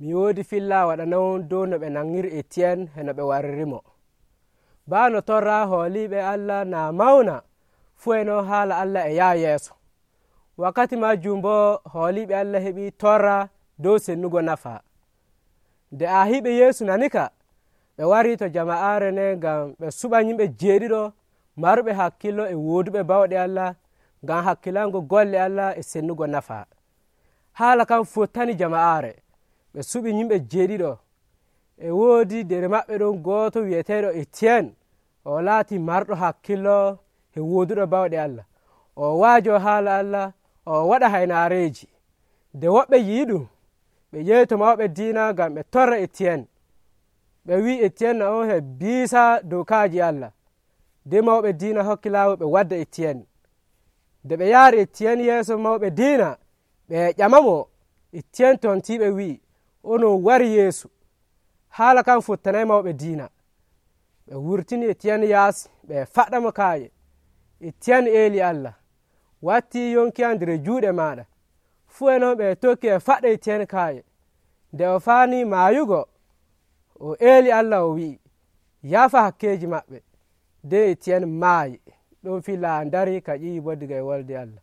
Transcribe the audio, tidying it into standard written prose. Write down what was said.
mi woodi filla waɗanon dow no ɓe nangiri Etiyen e no ɓe warrimo. Baa no torra hooliiɓe Allah naa mawna fuu e non haala Allah e yaha yeeso. Wakkati majjum boo hooliiɓe Allah heɓii torra dow sennugo nafa. Nde aahiiɓe Yeesu nani ka, ɓe warii to jama'aare nden ngam ɓe suɓa yimɓe jeeɗiɗo marɓe hakkilo e wooduɓe bawɗe Allah ngam hakkilango golle Allah e sennugo nafa. Haala kan fottani jama'aare. Ɓe suɓi yimɓe jeeɗiɗo. E woodi nder maɓɓe ɗon gooto wi'eteeɗo Etiyen. O laatii marɗo hakkilo e wooduɗo bawɗe Allah. O waajo haala Allah, o waɗa haynaareeji. Nde woɓɓe yi'i ɗum, ɓe ƴeewi to mawɓe diina ngam ɓe torra Etiyen. Ɓe wi'i Etiyen on e biisa dokaaji Allah. Nden mawɓe diina hokki laawol ɓe wadda Etiyen. Nde ɓe yaari Etiyen yeeso mawɓe diina, ɓe ƴamamo. Etiyen tontii ɓe wi'i, onon wari Yeesu. Haala kan fottanayi mawɓe diina. Ɓe wurtini Etiyen yaasi, ɓe faɗɗamo kaaƴe. Etiyen eeli Allah, wattii yonki am nder juuɗe maaɗa. Fuu e non ɓe tokki e faɗɗa Etiyen kaaƴe. Nde o faanii maayugo, o eeli Allah o wi'i, yaafa hakkeeji maɓɓe. Nden Etiyen maayi. Ɗon filla darii ka ƴiwi boo diga e wolde Allah.